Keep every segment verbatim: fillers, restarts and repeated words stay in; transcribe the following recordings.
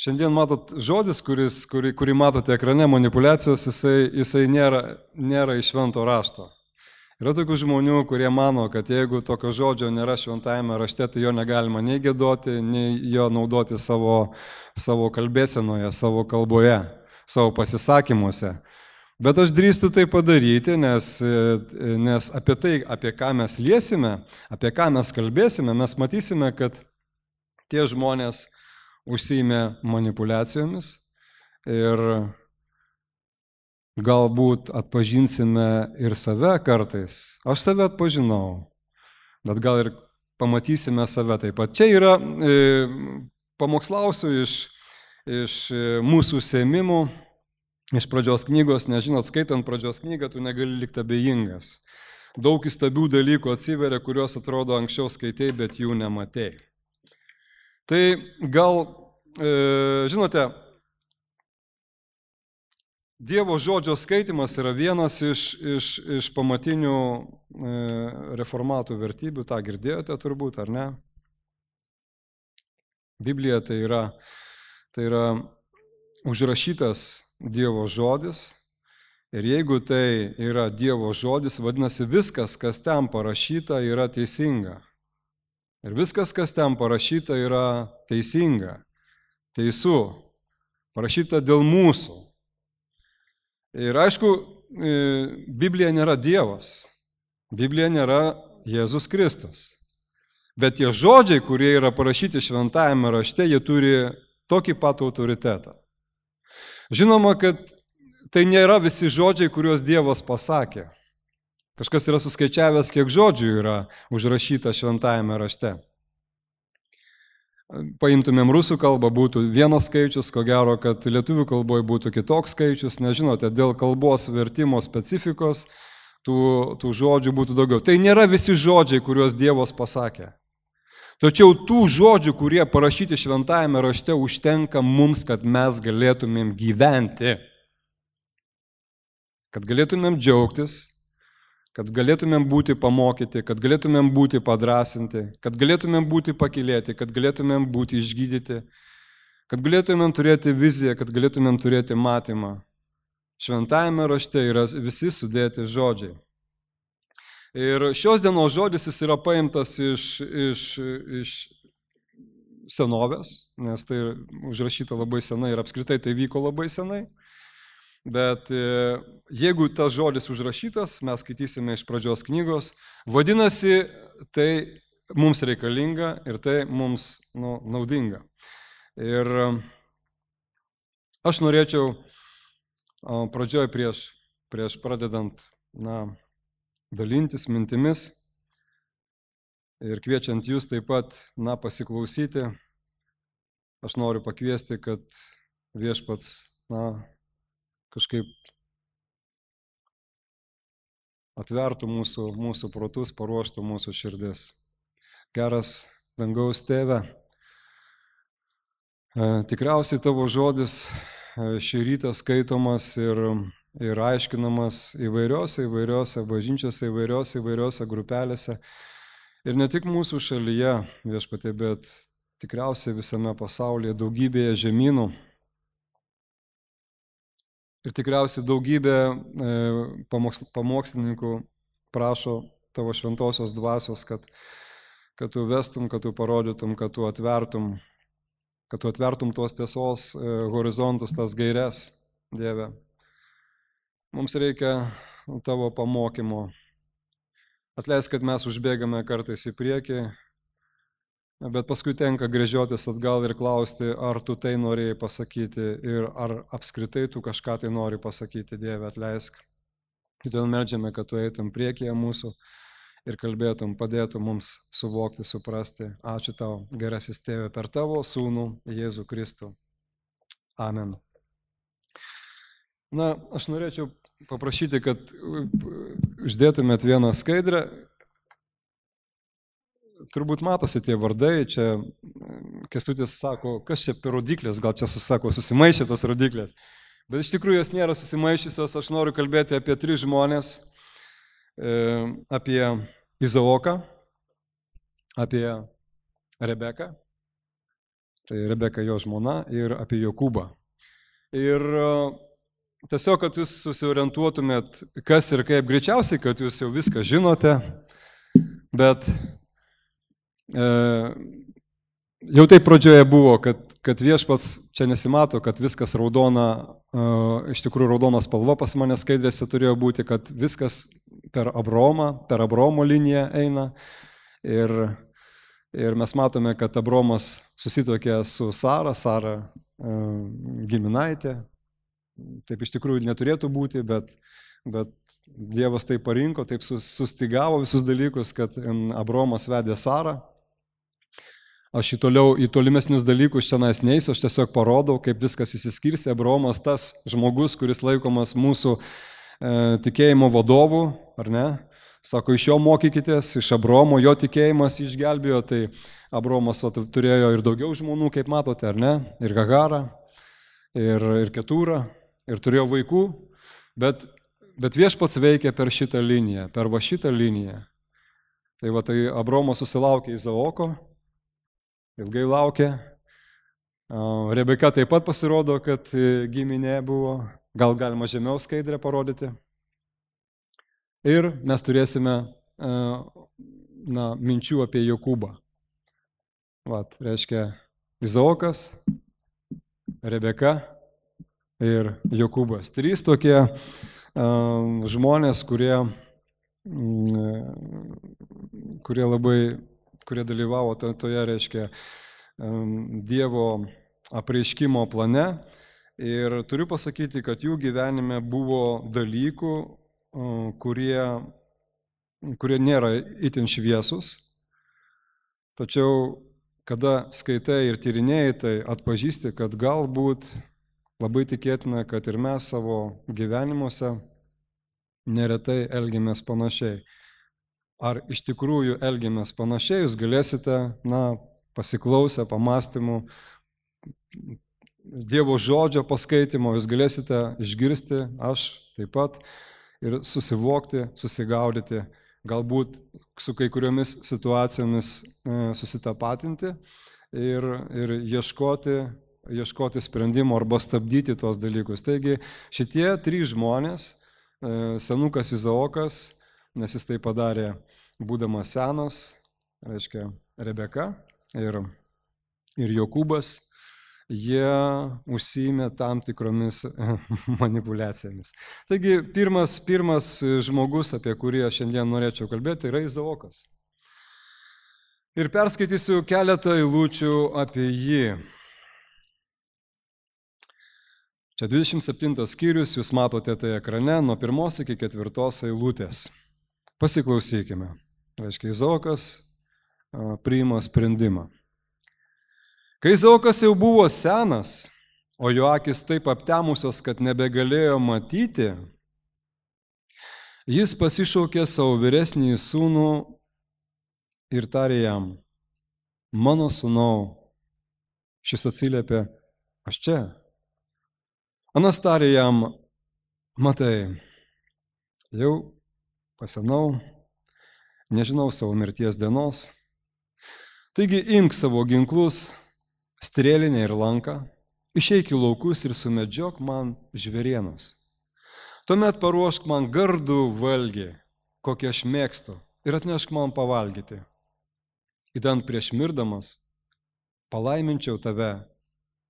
Šiandien matot žodis, kuris, kurį, kurį matote ekrane, manipulacijos, jisai, jisai nėra, nėra iš švento rašto. Yra tokių žmonių, kurie mano, kad jeigu tokio žodžio nėra šventajame rašte, tai jo negalima nei giedoti, nei jo naudoti savo, savo kalbėsenoje, savo kalboje, savo pasisakymuose. Bet aš drįstu tai padaryti, nes, nes apie tai, apie ką mes liesime, apie ką mes kalbėsime, mes matysime, kad tie žmonės užsiėmė manipulacijomis ir galbūt atpažinsime ir save kartais. Aš save atpažinau, bet gal ir pamatysime save taip pat. Čia yra, e, pamokslausiu iš, iš mūsų užsiėmimų, iš pradžios knygos, nes žinot, skaitant pradžios knygą, tu negali likti abejingas. Daug įstabių dalykų atsiveria, kuriuos atrodo anksčiau skaitei, bet jų nematei. Tai gal, e, žinote, Dievo žodžio skaitimas yra vienas iš, iš, iš pamatinių e, reformatų vertybių, tą girdėjote turbūt, ar ne? Biblija tai yra, tai yra užrašytas Dievo žodis ir jeigu tai yra Dievo žodis, vadinasi viskas, kas ten parašyta, yra teisinga. Ir viskas, kas ten parašyta, yra teisinga, teisų, parašyta dėl mūsų. Ir aišku, Biblija nėra Dievas, Biblija nėra Jėzus Kristus. Bet tie žodžiai, kurie yra parašyti šventajame rašte, jie turi tokį pat autoritetą. Žinoma, kad tai nėra visi žodžiai, kuriuos Dievas pasakė. Kažkas yra suskaičiavęs, kiek žodžių yra užrašyta šventajame rašte. Paimtumėm rusų kalbą, būtų vienas skaičius, ko gero, kad lietuvių kalboje būtų kitoks skaičius, nežinote, dėl kalbos vertimo specifikos tų, tų žodžių būtų daugiau. Tai nėra visi žodžiai, kuriuos Dievas pasakė. Tačiau tų žodžių, kurie parašyti šventajame rašte, užtenka mums, kad mes galėtumėm gyventi, kad galėtumėm džiaugtis, kad galėtumėm būti pamokyti, kad galėtumėm būti padrasinti, kad galėtumėm būti pakylėti, kad galėtumėm būti išgydyti, kad galėtumėm turėti viziją, kad galėtumėm turėti matymą. Šventajame rašte yra visi sudėti žodžiai. Ir šios dienos žodis jis yra paimtas iš, iš, iš senovės, nes tai užrašyta labai senai ir apskritai tai vyko labai senai. Bet jeigu tas žodis užrašytas, mes skaitysime iš pradžios knygos, vadinasi, tai mums reikalinga ir tai mums nu, naudinga. Ir aš norėčiau pradžioj prieš, prieš pradedant na, dalintis mintimis ir kviečiant jūs taip pat na, pasiklausyti, aš noriu pakviesti, kad viešpats na, kažkaip atvertų mūsų, mūsų protus, paruoštų mūsų širdis. Geras dangaus tėve, tikriausiai tavo žodis šį rytą skaitomas ir, ir aiškinamas įvairiose, įvairiose bažnyčiose, įvairiose, įvairiose grupelėse. Ir ne tik mūsų šalyje, viešpatie, bet tikriausiai visame pasaulyje, daugybėje žemynų. Ir tikriausiai daugybė pamokslininkų prašo tavo šventosios dvasios, kad, kad tu vestum, kad tu parodytum, kad tu atvertum, kad tu atvertum tos tiesos horizontus, tas gaires, Dieve. Mums reikia tavo pamokymo. Atleisk, kad mes užbėgame kartais į priekį, bet paskui tenka gręžiotis atgal ir klausti, ar tu tai norėjai pasakyti ir ar apskritai tu kažką tai nori pasakyti, Dieve, atleisk. Todėl meldžiame, kad tu eitum priekyje mūsų ir kalbėtum, padėtum mums suvokti, suprasti. Ačiū tau, gerasis Tėve, per tavo sūnų Jėzų Kristų. Amen. Na, aš norėčiau paprašyti, kad uždėtumėt vieną skaidrę. Turbūt matosi tie vardai, čia Kęstutis sako, kas čia per rodiklės, gal čia susako, susimaišė tos rodiklės. Bet iš tikrųjų jos nėra susimaišysios, aš noriu kalbėti apie tris žmonės, apie Izaoką, apie Rebeką tai Rebeka jo žmona, ir apie Jokūbą. Ir tiesiog, kad jūs susiorientuotumėt, kas ir kaip, greičiausiai, kad jūs jau viską žinote, bet e, jau taip pradžioje buvo, kad, kad viešpats čia nesimato, kad viskas raudona, e, iš tikrųjų raudona spalva pas mane skaidrėse turėjo būti, kad viskas per Abromą, per Abromo liniją eina. Ir, ir mes matome, kad Abromas susitokė su Sara, Sara e, giminaitė. Taip iš tikrųjų neturėtų būti, bet, bet Dievas taip parinko, taip sustigavo visus dalykus, kad Abromas vedė Sarą. Aš į, toliau, į tolimesnius dalykus čia neisiu, aš tiesiog parodau, kaip viskas įsiskirsi. Abromas tas žmogus, kuris laikomas mūsų e, tikėjimo vadovų, ar ne? Sako, iš jo mokykitės, iš Abromo jo tikėjimas išgelbėjo, tai Abromas va, turėjo ir daugiau žmonų, kaip matote, ar ne? Ir Hagarą, ir, ir Ketūrą, ir turėjo vaikų, bet, bet viešpats veikia per šitą liniją, per va šitą liniją. Tai va, tai Abromas susilaukė Izaoko, ilgai laukė. Rebeka taip pat pasirodo, kad giminė buvo, gal galima žemiau skaidrę parodyti. Ir mes turėsime na, minčių apie Jokūbą. Vat, reiškia Izaokas, Rebeka ir Jokūbas. Trys tokie um, žmonės, kurie, um, kurie labai, kurie dalyvavo to, toje, reiškia, um, Dievo apreiškimo plane. Ir turiu pasakyti, kad jų gyvenime buvo dalykų, um, kurie, kurie nėra itin šviesus. Tačiau, kada skaitai ir tyrinėjai, tai atpažįsti, kad galbūt labai tikėtina, kad ir mes savo gyvenimuose neretai elgiamės panašiai. Ar iš tikrųjų elgiamės panašiai, jūs galėsite, na, pasiklausę pamastymų, Dievo žodžio paskaitimo, jūs galėsite išgirsti, aš taip pat, ir susivokti, susigaudyti, galbūt su kai kuriomis situacijomis susitapatinti ir, ir ieškoti, ieškoti sprendimo arba stabdyti tuos dalykus. Taigi šitie trys žmonės, senukas Izaokas, nes jis tai padarė būdamas senas, reiškia Rebeka ir, ir Jokūbas, jie užsiėmė tam tikromis manipulacijomis. Taigi pirmas, pirmas žmogus, apie kurį aš šiandien norėčiau kalbėti, yra Izaokas. Ir perskaitysiu keletą eilučių apie jį. Čia dvidešimt septintas skyrius, jūs matote tai ekrane, nuo pirmos iki ketvirtos eilutės. Pasiklausykime. Reiškia, Izaokas priima sprendimą. Kai Izaokas jau buvo senas, o jo akis taip aptemusios, kad nebegalėjo matyti, jis pasišaukė savo vyresnį sūnų ir tarė jam, mano sūnau, šis atsiliepė, aš čia. Anas tarė jam, matai, jau pasenau, nežinau savo mirties dienos, taigi imk savo ginklus, strėlinę ir lanką, išeik į laukus ir sumedžiok man žvėrienos. Tuomet paruošk man gardų valgį, kokį aš mėgstu, ir atnešk man pavalgyti. Idant prieš mirdamas palaiminčiau tave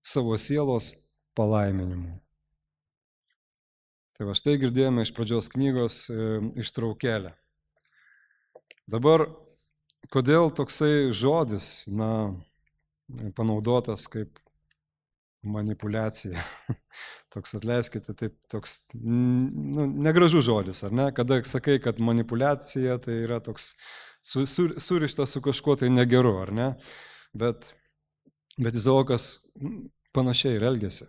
savo sielos palaiminimu. Tai va štai girdėjome iš pradžios knygos ištraukėlę. Dabar, kodėl toksai žodis, na, panaudotas kaip manipulacija. Toks, atleiskite, taip, toks nu, negražus žodis, ar ne? Kada sakai, kad manipulacija, tai yra toks su, su, surištas su kažkuo tai negeru, ar ne? Bet, bet Izaokas panašiai ir elgėsi.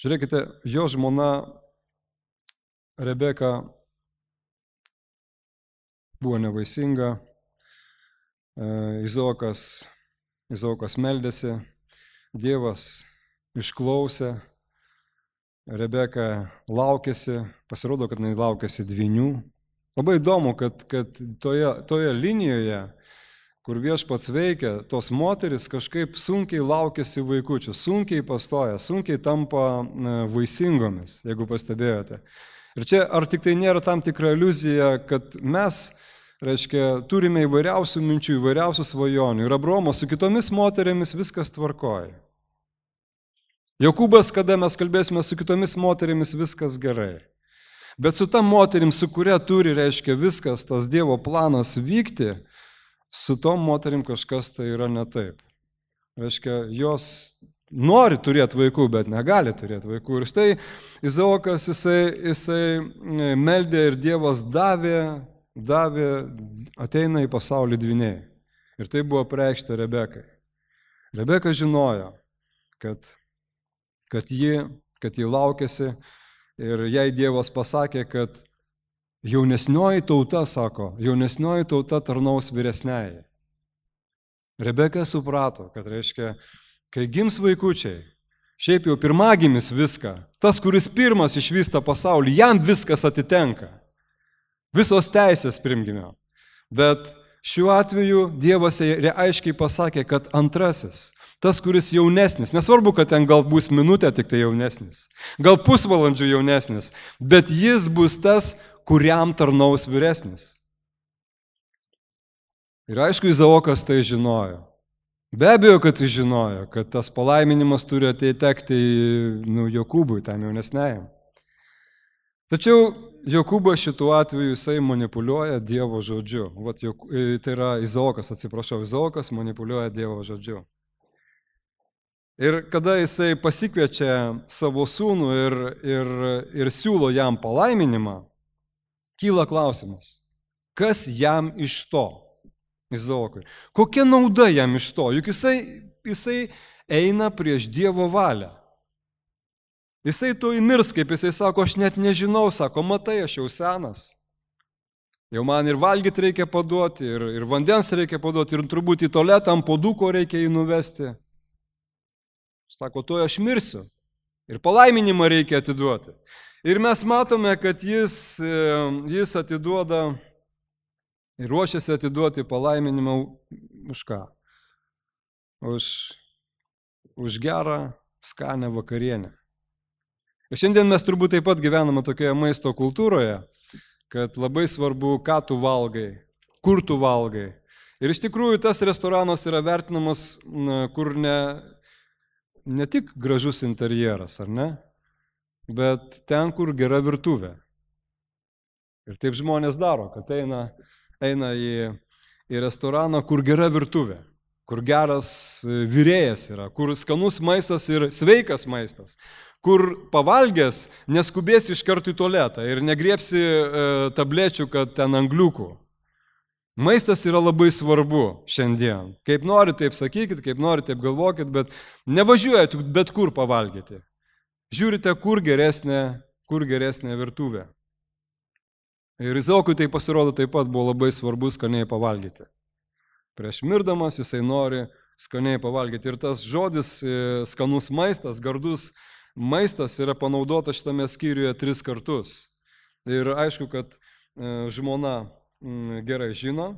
Žiūrėkite, jo žmona Rebeka buvo nevaisinga, Izaokas Izaokas meldėsi, Dievas išklausė, Rebeka laukėsi, pasirodo, kad jinai laukėsi dvynių. Labai įdomu, kad, kad toje, toje linijoje kur Viešpats veikia, tos moteris kažkaip sunkiai laukiasi vaikųčių, sunkiai pastoja, sunkiai tampa vaisingomis, jeigu pastebėjote. Ir čia ar tik tai nėra tam tikra iliuzija, kad mes, reiškia, turime įvairiausių minčių, įvairiausių svajonių. Ir Abraomo su kitomis moterėmis viskas tvarkoja. Jokūbas, kada mes kalbėsime su kitomis moterimis, viskas gerai. Bet su ta moterim, su kuria turi, reiškia, viskas, tas Dievo planas vykti, su tom moterim kažkas tai yra ne taip. Reiškia, jos nori turėti vaikų, bet negali turėti vaikų. Ir štai Izaokas, jisai, jisai meldė ir Dievas davė, davė, ateina į pasaulį dvyniai. Ir tai buvo apreikšta Rebekai. Rebeka žinojo, kad, kad, ji, kad ji laukėsi ir jai Dievas pasakė, kad jaunesnioji tauta, sako, jaunesnioji tauta tarnaus vyresniai. Rebeka suprato, kad reiškia, kai gims vaikučiai, šiaip jau pirmagimis viską, tas, kuris pirmas išvysta pasaulį, jam viskas atitenka. Visos teisės pirmgimio. Bet šiuo atveju Dievas aiškiai pasakė, kad antrasis, tas, kuris jaunesnis, nesvarbu, kad ten gal bus minutė tik tai jaunesnis, gal pusvalandžių jaunesnis, bet jis bus tas, kuriam tarnaus vyresnis. Ir aišku, Izaokas tai žinojo. Be abejo, kad jis žinojo, kad tas palaiminimas turi ateitekti nu, Jokūbui, tam jaunesniajam. Tačiau Jokūbas šituo atveju jisai manipuliuoja Dievo žodžiu. Vat, Jok... Tai yra Izaokas, atsiprašau, Izaokas manipuliuoja Dievo žodžiu. Ir kada jisai pasikviečia savo sūnų ir, ir, ir siūlo jam palaiminimą, kyla klausimas, kas jam iš to, Izaokui? Kokia nauda jam iš to? Juk jisai, jisai eina prieš Dievo valią. Jisai to įmirs, kaip jisai sako, aš net nežinau, sako, matai, aš jau senas. Jau man ir valgyti reikia paduoti, ir, ir vandens reikia paduoti, ir turbūt į tualetą ant puoduko reikia jį nuvesti. Sako, to aš mirsiu. Ir palaiminimą reikia atiduoti. Ir mes matome, kad jis, jis atiduoda ir ruošiasi atiduoti palaiminimą už ką? Už, už gerą, skanę vakarienę. Ir šiandien mes turbūt taip pat gyvename tokioje maisto kultūroje, kad labai svarbu, ką tu valgai, kur tu valgai. Ir iš tikrųjų tas restoranas yra vertinamas, kur ne, ne tik gražus interjeras, ar ne? Bet ten, kur gera virtuvė. Ir taip žmonės daro, kad eina, eina į, į restoraną, kur gera virtuvė, kur geras virėjas yra, kur skanus maistas ir sveikas maistas, kur pavalgęs neskubėsi iš karto į tualetą ir negriepsi e, tablečių, kad ten angliukų. Maistas yra labai svarbu šiandien. Kaip nori, taip sakykit, kaip nori, taip galvokit, bet nevažiuojat bet kur pavalgyti. Žiūrite, kur geresnė, kur geresnė virtuvė. Ir Izaokui tai pasirodo taip pat buvo labai svarbu skaniai pavalgyti. Prieš mirdamas jisai nori skaniai pavalgyti. Ir tas žodis skanus maistas, gardus maistas yra panaudotas šitame skyriuje tris kartus. Ir aišku, kad žmona gerai žino,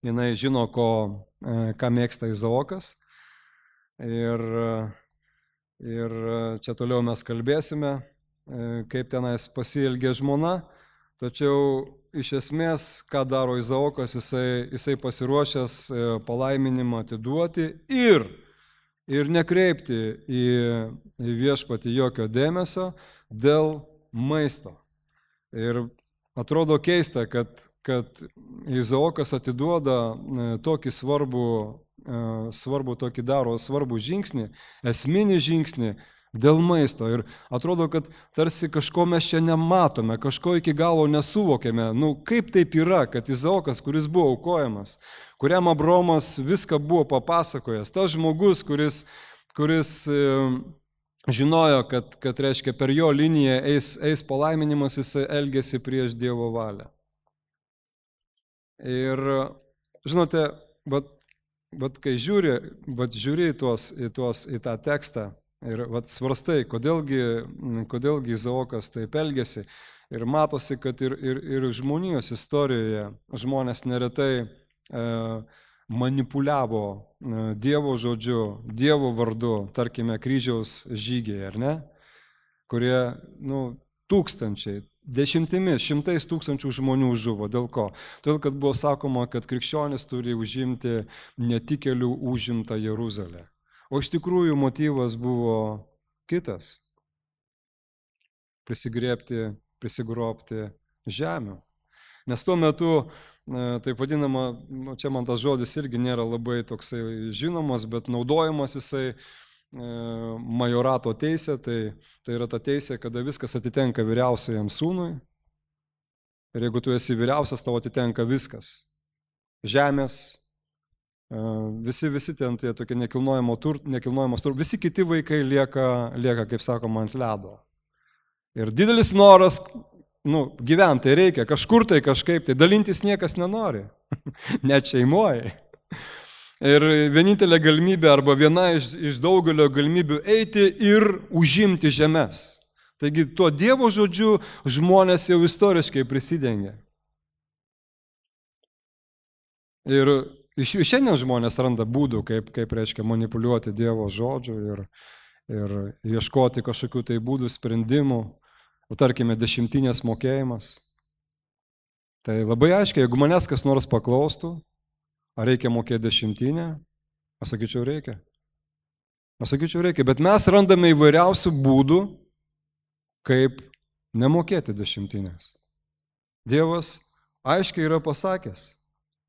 jinai žino, ko, ką mėgsta Izaokas. Ir, ir čia toliau mes kalbėsime, kaip tenais pasielgė žmona. Tačiau iš esmės, ką daro Izaokas, jisai, jisai pasiruošęs palaiminimą atiduoti ir, ir nekreipti į, į viešpatį jokio dėmesio dėl maisto. Ir atrodo keista, kad, kad Izaokas atiduoda tokį svarbų, svarbų tokį daro svarbų žingsnį, esminį žingsnį, dėl maisto. Ir atrodo, kad tarsi kažko mes čia nematome, kažko iki galo nesuvokėme. Nu, kaip taip yra, kad Izaokas, kuris buvo aukojamas, kuriam Abraomas viską buvo papasakojęs, tas žmogus, kuris, kuris e, žinojo, kad, kad reiškia, per jo liniją eis, eis palaiminimas, jis elgėsi prieš Dievo valią. Ir, žinote, bet, bet kai žiūri, bet žiūri į, tuos, į, tuos, į tą tekstą, ir vat, svarstai, kodėlgi, kodėlgi Izaokas taip elgėsi. Ir matosi, kad ir, ir, ir žmonijos istorijoje žmonės neretai e, manipuliavo Dievo žodžiu, Dievo vardu, tarkime, kryžiaus žygiai, ar ne? Kurie, nu, tūkstančiai, dešimtimis, šimtais tūkstančių žmonių žuvo. Dėl ko? Todėl, kad buvo sakoma, kad krikščionis turi užimti netikėlių užimtą Jeruzalę. O iš tikrųjų motyvas buvo kitas. Prisigriebti, prisigrobti žemių. Nes tuo metu, taip vadinama, čia man tas žodis irgi nėra labai toksai žinomas, bet naudojamas jisai majorato teisė, tai, tai yra ta teisė, kada viskas atitenka vyriausiajam sūnui. Ir jeigu tu esi vyriausias, tau atitenka viskas. Žemės, visi, visi ten tie tokie nekilnojamo turto, nekilnojamos turto, visi kiti vaikai lieka, lieka, kaip sakoma, ant ledo. Ir didelis noras, nu, gyventi reikia, kažkur tai kažkaip, tai dalintis niekas nenori, net šeimoje. Ir vienintelė galimybė arba viena iš, iš daugelio galimybių eiti ir užimti žemes. Taigi tuo Dievo žodžiu žmonės jau istoriškai prisidengia. Ir iš šiandien žmonės randa būdų, kaip, kaip reiškia manipuliuoti Dievo žodžiu ir, ir ieškoti kažkokių tai būdų sprendimų. Tarkime, dešimtinės mokėjimas. Tai labai aiškiai, jeigu manęs kas nors paklaustų, ar reikia mokėti dešimtinę, aš sakyčiau reikia. Aš sakyčiau reikia, bet mes randame įvairiausių būdų, kaip nemokėti dešimtinės. Dievas aiškiai yra pasakęs,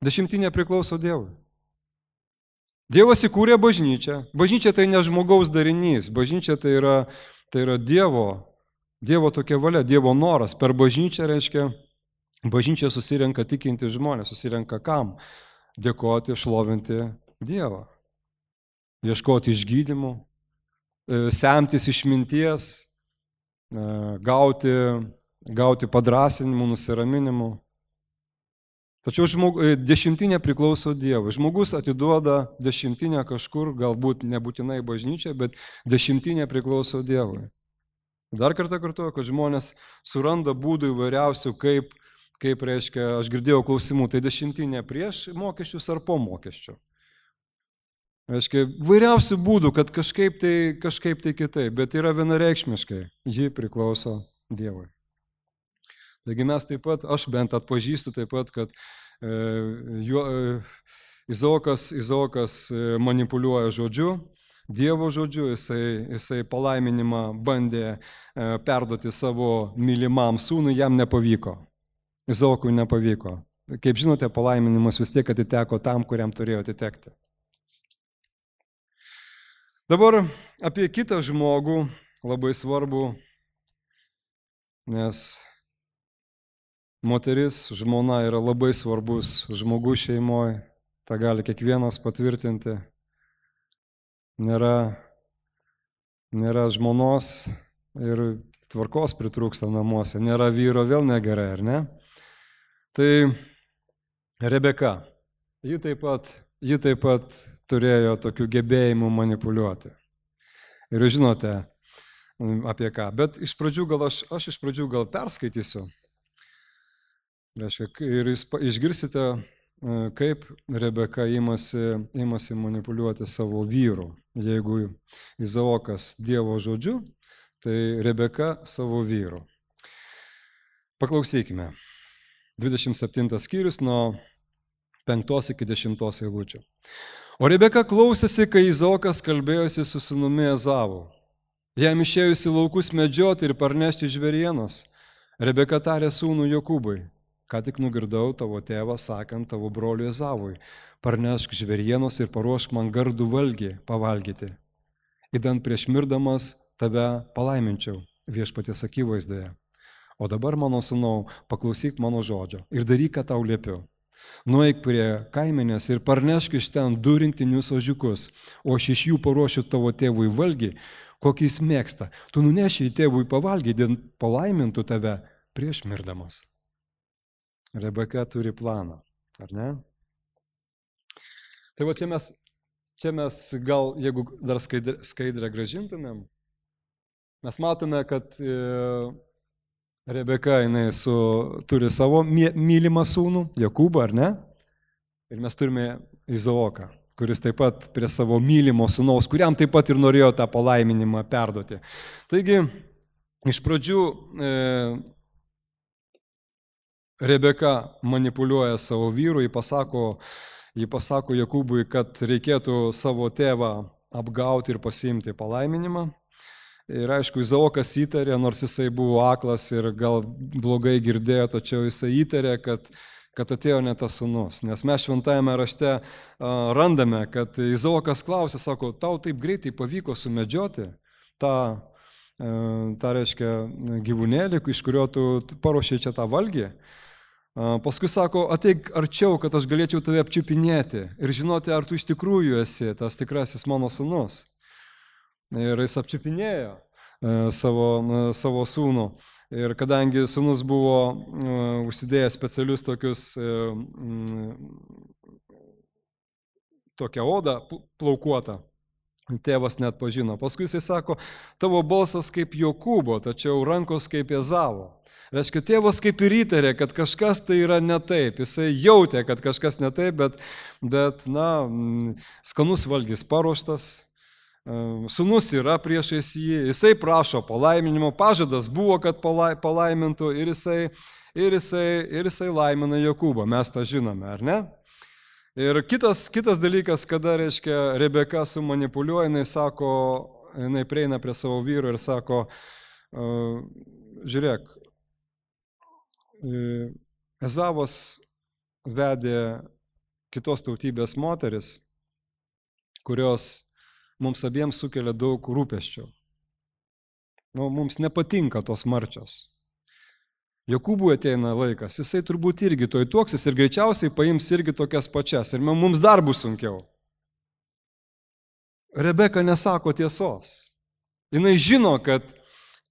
dešimtinė priklauso Dievui. Dievas įkūrė bažnyčią. Bažnyčia tai ne žmogaus darinys, bažnyčia tai yra, tai yra Dievo, Dievo tokia valia, Dievo noras. Per bažnyčią reiškia, bažnyčia susirenka tikinti žmonės, susirenka kam? Dėkoti, šlovinti Dievą. Ieškoti išgydymų, semtis išminties, gauti, gauti padrąsinimų, nusiraminimų. Tačiau žmog, dešimtinė priklauso Dievui. Žmogus atiduoda dešimtinę kažkur, galbūt nebūtinai bažnyčia, bet dešimtinė priklauso Dievui. Dar kartą kartuoju, kad žmonės suranda būdų įvairiausių, kaip, kaip reiškia, aš girdėjau klausimų, tai dešimtinė prieš mokesčius ar po mokesčių. Reiškia, vairiausių būdų, kad kažkaip tai, kažkaip tai kitaip, bet yra vienareikšmiškai, ji priklauso Dievui. Taigi mes taip pat, aš bent atpažįstu taip pat, kad e, jo, e, Izaokas, Izaokas manipuliuoja žodžiu, Dievo žodžiu, jisai, jisai palaiminimą bandė e, perduoti savo mylimam sūnui, jam nepavyko. Izaokui nepavyko. Kaip žinote, palaiminimas vis tiek atiteko tam, kuriam turėjo atitekti. Dabar apie kitą žmogų labai svarbu, nes moteris, žmona yra labai svarbus žmogus šeimoje, tą gali kiekvienas patvirtinti. Nėra, nėra žmonos ir tvarkos pritrūksta namuose, nėra vyro, vėl negerai, ar ne? Tai Rebeka, ji taip pat, ji taip pat turėjo tokių gebėjimų manipuliuoti. Ir žinote apie ką, bet iš pradžių gal aš, aš iš pradžių gal perskaitysiu. Ir jūs išgirsite, kaip Rebeka imasi, imasi manipuliuoti savo vyru. Jeigu Izaokas Dievo žodžiu, tai Rebeka savo vyru. Paklausykime. dvidešimt septintas skyrius nuo penktos iki dešimtos eilučių. O Rebeka klausėsi, kai Izaokas kalbėjosi su sūnumi Ezavu. Jam išėjusi laukus medžioti ir parnešti žvėrienos, Rebeka tarė sūnų Jokūbui: ką tik nugirdau tavo tėvą sakant tavo broliui Ezavui: parnešk žvėrienos ir paruošk man gardų valgį pavalgyti. Idant prieš mirdamas tave palaiminčiau viešpaties akivaizdoje. O dabar, mano sūnau, paklausyk mano žodžio ir daryk, ką tau liepiu. Nueik prie kaimenės ir parnešk iš ten du rinktinius ožiukus, o aš iš jų paruošiu tavo tėvui valgį, kokį jis mėgsta. Tu nuneši į tėvui pavalgį, idant palaimintų tave prieš mirdamas. Rebeka turi planą, ar ne? Tai va čia mes, čia mes gal, jeigu dar skaidrę, skaidrę gražintumėm, mes matome, kad e, Rebeka jinai su, turi savo mylimą sūnų, Jokūbą, ar ne? Ir mes turime Izaoką, kuris taip pat prie savo mylimo sūnaus, kuriam taip pat ir norėjo tą palaiminimą perduoti. Taigi, iš pradžių e, Rebeka manipuliuoja savo vyru, jį pasako, jį pasako Jokūbui, kad reikėtų savo tėvą apgauti ir pasiimti palaiminimą. Ir aišku, Izaokas įtarė, nors jisai buvo aklas ir gal blogai girdėjo, tačiau jisai įtarė, kad, kad atėjo ne tas sūnus. Nes mes šventajame rašte a, randame, kad Izaokas klausė, sako, tau taip greitai pavyko sumedžioti tą, a, tą reiškia, gyvūnėlį, iš kurio tu paruošei čia tą valgį. A, paskui sako, ateik arčiau, kad aš galėčiau tave apčiupinėti ir žinoti, ar tu iš tikrųjų esi tas tikrasis mano sūnus. Ir jis apčiupinėjo savo, savo sūnų. Ir kadangi sūnus buvo užsidėjęs specialius tokius, tokią odą plaukuotą, tėvas net pažino. Paskui jisai sako, tavo balsas kaip Jokūbo, tačiau rankos kaip Ezavo. Reiškia, tėvas kaip ir įtarė, kad kažkas tai yra ne taip. Jisai jautė, kad kažkas ne taip, bet, bet na, skanus valgys paruoštas. Sūnus yra priešais jį, jisai prašo palaiminimo, pažadas buvo, kad palaimintų ir jisai, ir jisai, ir jisai laimina Jokūbą, mes tą žinome, ar ne? Ir kitas, kitas dalykas, kada, reiškia, Rebeka sumanipuliuoja, jinai sako, jinai prieina prie savo vyro ir sako, žiūrėk, Ezavas vedė kitos tautybės moteris, kurios mums abiems sukelia daug rūpesčių. Nu, mums nepatinka tos marčios. Jokūbui ateina laikas, jisai turbūt irgi toj tuoksis ir greičiausiai paims irgi tokias pačias ir mums dar bus sunkiau. Rebeka nesako tiesos. Jinai žino, kad,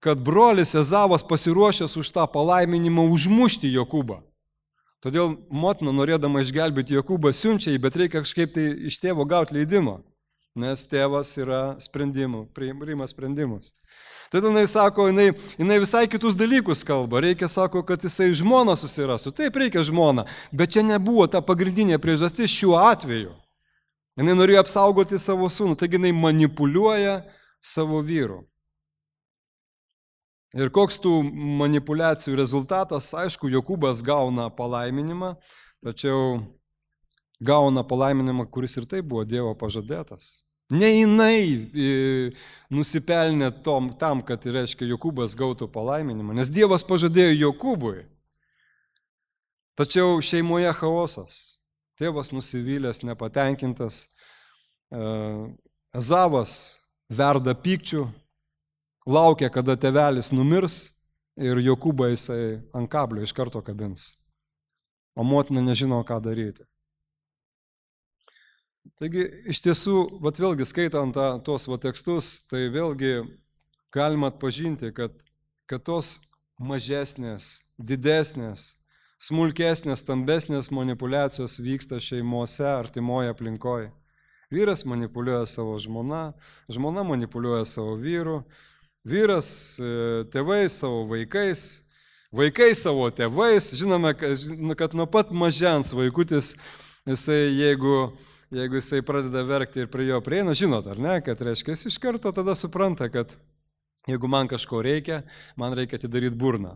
kad brolis Ezavas pasiruošęs už tą palaiminimą užmušti Jokūbą. Todėl motina, norėdama išgelbėti Jokūbą, siunčia jį, bet reikia kažkaip tai iš tėvo gauti leidimą. Nes tėvas yra sprendimų, priima sprendimus. Tada jinai sako, jinai, jinai visai kitus dalykus kalba. Reikia, sako, kad jisai žmoną susirastų. Taip, reikia žmoną, bet čia nebuvo ta pagrindinė priežastis šiuo atveju. Jinai norėjo apsaugoti savo sūnų, taigi jinai manipuliuoja savo vyru. Ir koks tų manipulacijų rezultatas, aišku, Jokūbas gauna palaiminimą, tačiau gauna palaiminimą, kuris ir taip buvo Dievo pažadėtas. Ne jinai nusipelnė tom, tam, kad, reiškia, Jokūbas gautų palaiminimą, nes Dievas pažadėjo Jokūbui. Tačiau šeimoje chaosas. Tėvas nusivylęs, nepatenkintas. Ezavas verda pykčių, laukia, kada tėvelis numirs ir Jokūbą jisai ant kablio iš karto kabins. O motina nežino, ką daryti. Taigi, iš tiesų, vat vėlgi skaitant tą, tos va tekstus, tai vėlgi galima atpažinti, kad, kad tos mažesnės, didesnės, smulkesnės, stambesnės manipulacijos vyksta šeimose, artimoje aplinkoje. Vyras manipuliuoja savo žmona, žmona manipuliuoja savo vyru, vyras tėvais savo vaikais, vaikai savo tėvais. Žinome, kad nuo pat mažens vaikutis, jisai jeigu Jeigu jisai pradeda verkti ir prie jo prieina, žinot, ar ne, kad reiškia, jis iš karto tada supranta, kad jeigu man kažko reikia, man reikia atidaryti burną.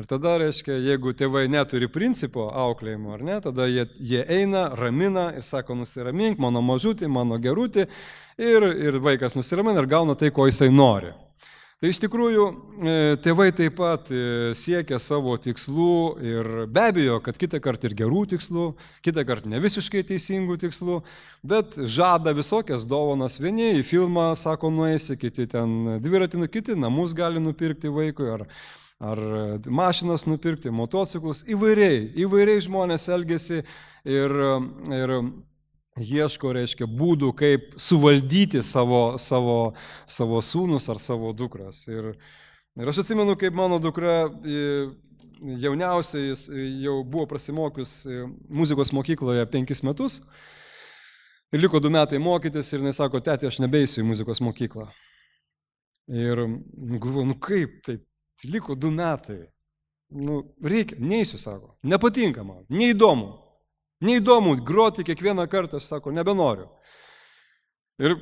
Ir tada, reiškia, jeigu tėvai neturi principo auklėjimo, ar ne, tada jie, jie eina, ramina ir sako, nusiramink, mano mažutį, mano gerutį, ir, ir vaikas nusiramina ir gauna tai, ko jisai nori. Tai iš tikrųjų tėvai taip pat siekia savo tikslų ir be abejo, kad kitą kartą ir gerų tikslų, kitą kartą ne visiškai teisingų tikslų, bet žada visokias dovanas. Vieni į filmą, sako, nueisi, kiti ten dviratį, kiti namus gali nupirkti vaikui, ar, ar mašinas nupirkti, motociklus. Įvairiai, įvairiai žmonės elgiasi ir, ir ieško, reiškia, būdų, kaip suvaldyti savo, savo, savo sūnus ar savo dukras. Ir, ir aš atsimenu, kaip mano dukra jauniausia, jis jau buvo prasimokius muzikos mokykloje penkis metus ir liko du metai mokytis ir jis sako, tėti, aš nebeisiu į muzikos mokyklą. Ir galvoju, nu kaip, taip, liko du metai. Nu, reikia, neisiu, sako, nepatinka man, neįdomu. Neįdomu, groti kiekvieną kartą, aš sako, nebenoriu. Ir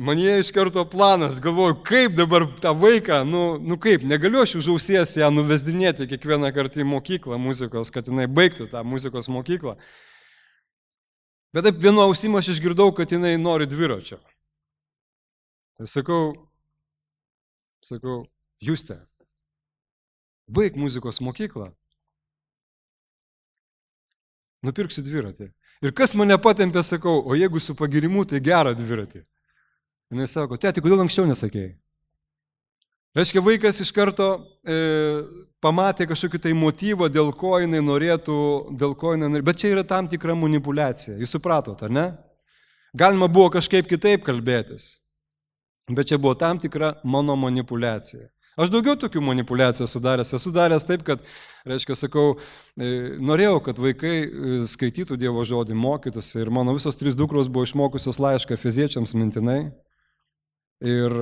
man jie iš karto planas, galvoju, kaip dabar tą vaiką, nu, nu kaip, negaliu aš už ausies ją nuvesdinėti kiekvieną kartą į mokyklą muzikos, kad jinai baigtų tą muzikos mokyklą. Bet taip vienu ausimu aš išgirdau, kad jinai nori dviračio. Tai sakau, sakau, Juste, baig muzikos mokyklą, nupirksiu dviratį. Ir kas mane patempė, sakau, o jeigu su pagirimu, tai gerą dviratį. Jis sako, tėti, kodėl anksčiau nesakėjai? Reiškia, vaikas iš karto e, pamatė kažkokį tai motyvą, dėl ko jinai norėtų, dėl ko jinai norėtų, bet čia yra tam tikra manipulacija. Jūs supratot, ar ne? Galima buvo kažkaip kitaip kalbėtis, bet čia buvo tam tikra mano manipulacija. Aš daugiau tokių manipulacijų sudaręs, esu daręs taip, kad, reiškia, sakau, norėjau, kad vaikai skaitytų Dievo žodį, mokytųsi ir mano visos trys dukros buvo išmokusios laišką Efeziečiams mintinai ir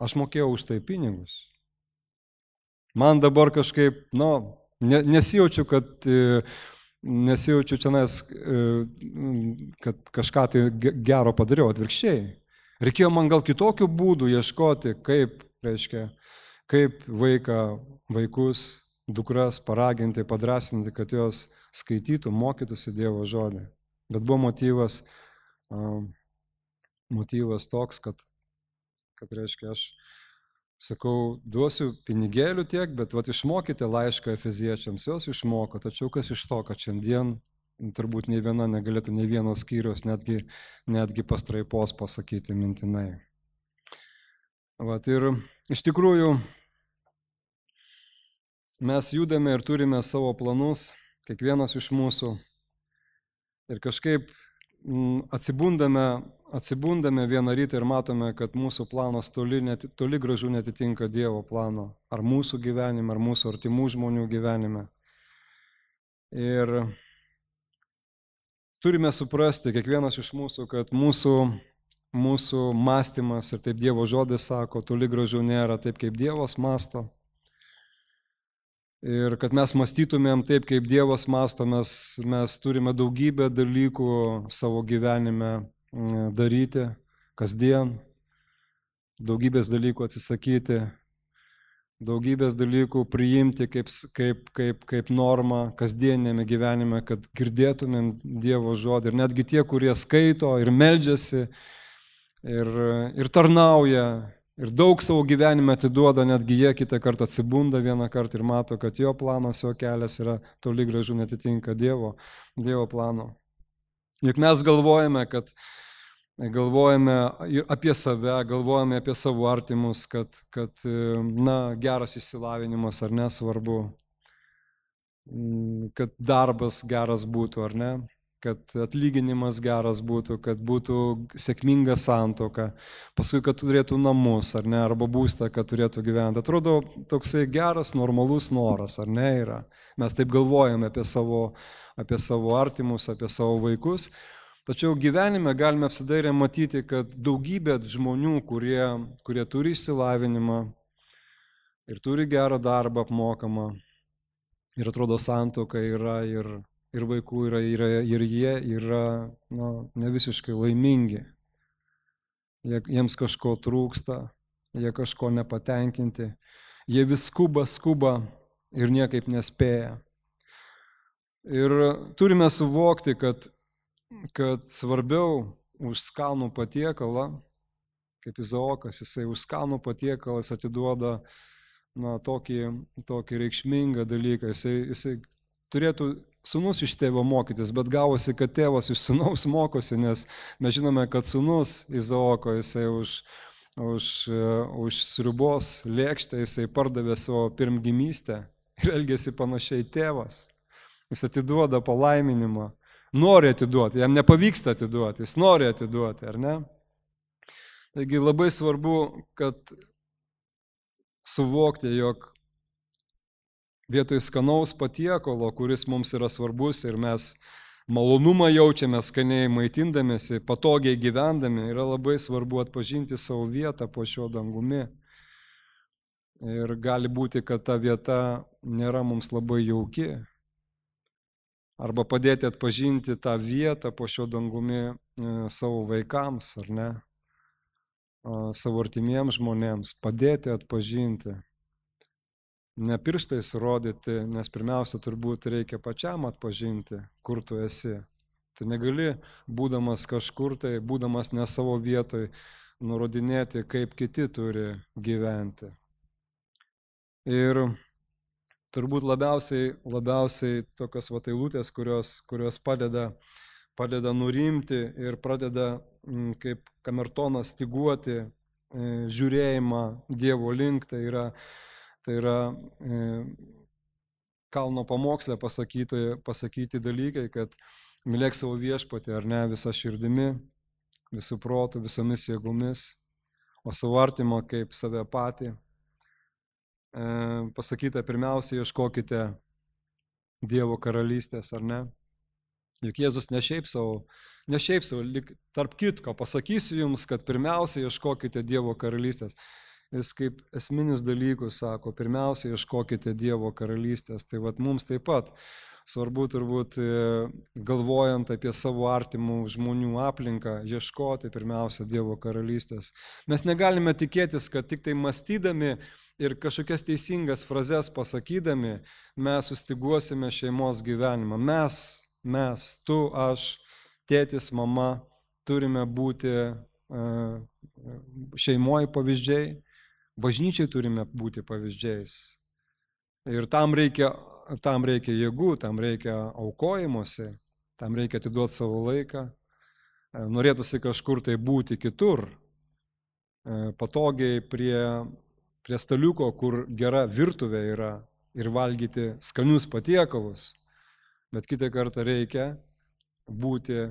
aš mokėjau už tai pinigus. Man dabar kažkaip, nu, nesijaučiu, kad, nesijaučiu čianais, kad kažką tai gero padariau, atvirkščiai. Reikėjo man gal kitokių būdų ieškoti, kaip, reiškia, kaip vaiką, vaikus, dukras paraginti, padrasinti, kad jos skaitytų, mokytųsi Dievo žodį. Bet buvo motyvas, motyvas toks, kad, kad reiškia, aš sakau, duosiu pinigėlių tiek, bet vat išmokite laišką Efeziečiams, jos išmoko, tačiau kas iš to, kad šiandien turbūt nei viena negalėtų nei vienos skyrius, netgi, netgi pastraipos pasakyti mintinai. Vat ir iš tikrųjų, mes judame ir turime savo planus, kiekvienas iš mūsų. Ir kažkaip atsibundame, atsibundame vieną rytą ir matome, kad mūsų planas toli, net, toli gražu netitinka Dievo plano. Ar mūsų gyvenime, ar mūsų artimų žmonių gyvenime. Ir turime suprasti, kiekvienas iš mūsų, kad mūsų, mūsų mąstymas, ir taip Dievo žodis sako, toli gražu nėra taip, kaip Dievas mąsto. Ir kad mes mąstytumėm taip, kaip Dievas mąsto, mes, mes turime daugybę dalykų savo gyvenime daryti, kasdien, daugybės dalykų atsisakyti, daugybės dalykų priimti kaip, kaip, kaip, kaip normą kasdienėme gyvenime, kad girdėtumėm Dievo žodį. Ir netgi tie, kurie skaito ir meldžiasi ir, ir tarnauja, ir daug savo gyvenime atiduoda, netgi jie kitą kartą atsibunda vieną kartą ir mato, kad jo planas, jo kelias yra toli gražu netitinka Dievo, Dievo plano. Juk mes galvojame, kad galvojame apie save, galvojame apie savo artimus, kad, kad na, geras išsilavinimas ar nesvarbu, kad darbas geras būtų ar ne, kad atlyginimas geras būtų, kad būtų sėkminga santuoka, paskui, kad turėtų namus, ar ne, arba būstą, kad turėtų gyventi. Atrodo, toksai geras, normalus noras, ar ne, yra. Mes taip galvojame apie savo, apie savo artimus, apie savo vaikus, tačiau gyvenime galime apsidairę matyti, kad daugybė žmonių, kurie, kurie turi išsilavinimą ir turi gerą darbą apmokamą, ir atrodo, santuoka yra ir ir vaikų yra, yra, ir jie yra na, ne visiškai laimingi. Jie, jiems kažko trūksta, jie kažko nepatenkinti, jie vis skuba, skuba ir niekaip nespėja. Ir turime suvokti, kad, kad svarbiau už skanų patiekalą, kaip Izaokas, jisai už skanų patiekalą atiduoda na, tokį, tokį reikšmingą dalyką. Jisai, jisai turėtų sūnus iš tėvo mokytis, bet gavosi, kad tėvas iš sūnaus mokosi, nes mes žinome, kad sūnus Izaoko, jisai už, už, už sriubos lėkštę, jisai pardavė savo pirmgimystę ir elgėsi panašiai tėvas. Jis atiduoda palaiminimą, nori atiduoti, jam nepavyksta atiduoti, jis nori atiduoti, ar ne? Taigi labai svarbu, kad suvokti, jog vietoj skanaus patiekalo, kuris mums yra svarbus ir mes malonumą jaučiame skaniai maitindamėsi, patogiai gyvendami, yra labai svarbu atpažinti savo vietą po šio dangumi. Ir gali būti, kad ta vieta nėra mums labai jauki. arba padėti atpažinti tą vietą po šio dangumi savo vaikams, ar ne, savo artimiems žmonėms, padėti atpažinti. Ne pirštais rodyti, nes pirmiausia turbūt reikia pačiam atpažinti, kur tu esi. Tu negali, būdamas kažkur tai, būdamas ne savo vietoj, nurodinėti, kaip kiti turi gyventi. Ir turbūt labiausiai, labiausiai tokios vat eilutės, kurios, kurios padeda, padeda nurimti ir pradeda, kaip kamertonas, styguoti žiūrėjimą Dievo link, tai yra Tai yra e, kalno pamoksle pasakyti, pasakyti dalykai, kad mylėk savo viešpatį, ar ne, visą širdimi, visų protų, visomis jėgomis, o savo artimą kaip save patį. E, pasakyta, pirmiausia, ieškokite Dievo karalystės, ar ne? Juk Jėzus ne šiaip savo, ne šiaip savo, lyg tarp kitko, pasakysiu jums, kad pirmiausia ieškokite Dievo karalystės. Jis kaip esminius dalykus sako, pirmiausia, ieškokite Dievo karalystės. Tai vat mums taip pat svarbu turbūt galvojant apie savo artimų žmonių aplinką, ieškoti pirmiausia Dievo karalystės. Mes negalime tikėtis, kad tik tai mąstydami ir kažkokias teisingas frazes pasakydami, mes sustiguosime šeimos gyvenimą. Mes, mes, tu, aš, tėtis, mama, turime būti šeimoje pavyzdžiai. Bažnyčiai turime būti pavyzdžiais. Ir tam reikia, tam reikia jėgų, tam reikia aukojimuose, tam reikia atiduoti savo laiką. Norėtųsi kažkur tai būti kitur, patogiai prie, prie staliuko, kur gera virtuvė yra ir valgyti skanius patiekalus. Bet kitą kartą reikia būti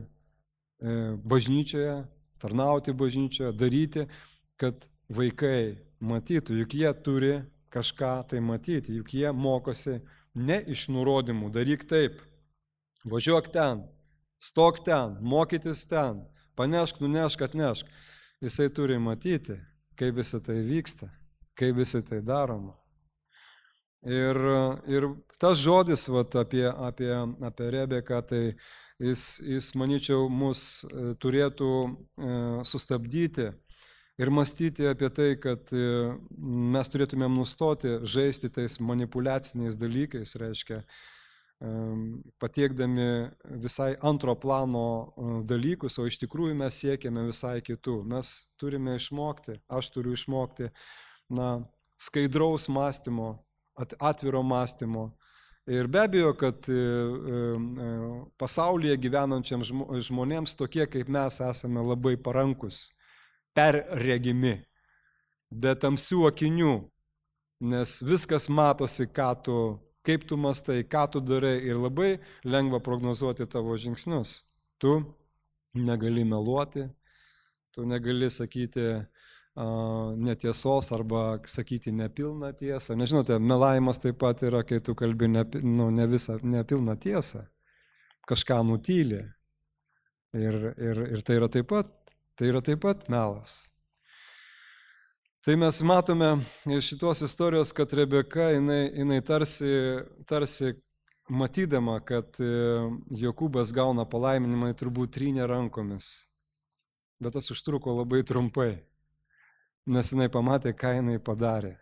bažnyčioje, tarnauti bažnyčioje, daryti, kad vaikai matytų, juk jie turi kažką tai matyti, juk jie mokosi ne iš nurodymų, daryk taip, važiuok ten, stok ten, mokytis ten, panešk, nunešk, atnešk. Jisai turi matyti, kaip visą tai vyksta, kaip visą tai daroma. Ir, ir tas žodis vat, apie, apie, apie Rebeką, tai jis, jis, manyčiau, mus turėtų e, sustabdyti ir mąstyti apie tai, kad mes turėtumėm nustoti žaisti tais manipuliaciniais dalykais, reiškia, patiekdami visai antro plano dalykus, o iš tikrųjų mes siekiame visai kitų. Mes turime išmokti, aš turiu išmokti, na, skaidraus mąstymo, atviro mąstymo. Ir be abejo, kad pasaulyje gyvenančiam žmonėms tokie kaip mes esame labai parankus, perregimi, be tamsių akinių, nes viskas matosi, ką tu, kaip tu mąstai, ką tu darai ir labai lengva prognozuoti tavo žingsnius. Tu negali meluoti, tu negali sakyti uh, netiesos arba sakyti nepilną tiesą. Nežinote, melavimas taip pat yra, kai tu kalbi ne, nu, ne visą nepilną tiesą, kažką nutyli. Ir, ir, ir tai yra taip pat Tai yra taip pat melas. Tai mes matome iš šitos istorijos, kad Rebeka, jinai, jinai tarsi, tarsi matydama, kad Jokūbas gauna palaiminimą, turbūt trynė rankomis. Bet tas užtruko labai trumpai, nes jinai pamatė, ką jinai padarė.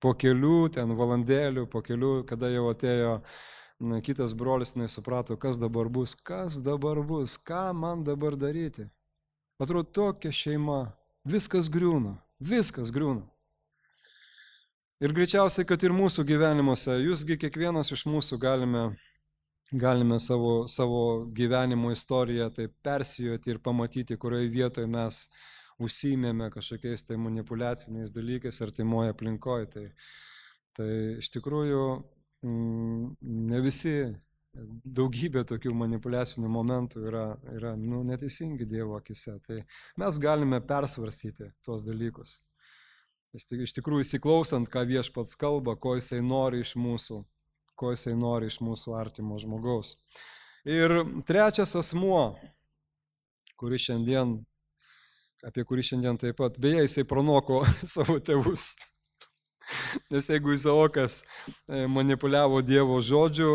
Po kelių ten valandėlių, po kelių, kada jau atėjo na, kitas brolis, jinai suprato, kas dabar bus, kas dabar bus, ką man dabar daryti. Atrodo, tokia šeima, viskas griūna, viskas griūna. Ir greičiausiai, kad ir mūsų gyvenimuose, jūsgi kiekvienas iš mūsų galime, galime savo, savo gyvenimo istoriją taip persijoti ir pamatyti, kurioje vietoje mes užsiimėme kažkokiais tai manipuliaciniais dalykais artimoje aplinkoje. Tai, tai iš tikrųjų ne visi. Daugybė tokių manipuliacinių momentų yra, yra nu, neteisingi Dievo akise. Tai mes galime persvarstyti tuos dalykus. Iš tikrųjų, įsiklausant, ką Viešpats kalba, ko jisai nori iš mūsų, ko jisai nori iš mūsų artimo žmogaus. Ir trečias asmuo, kuris šiandien, apie kurį šiandien taip pat, beje, jisai pranoko savo tėvus. Nes jeigu Izaokas manipuliavo Dievo žodžiu,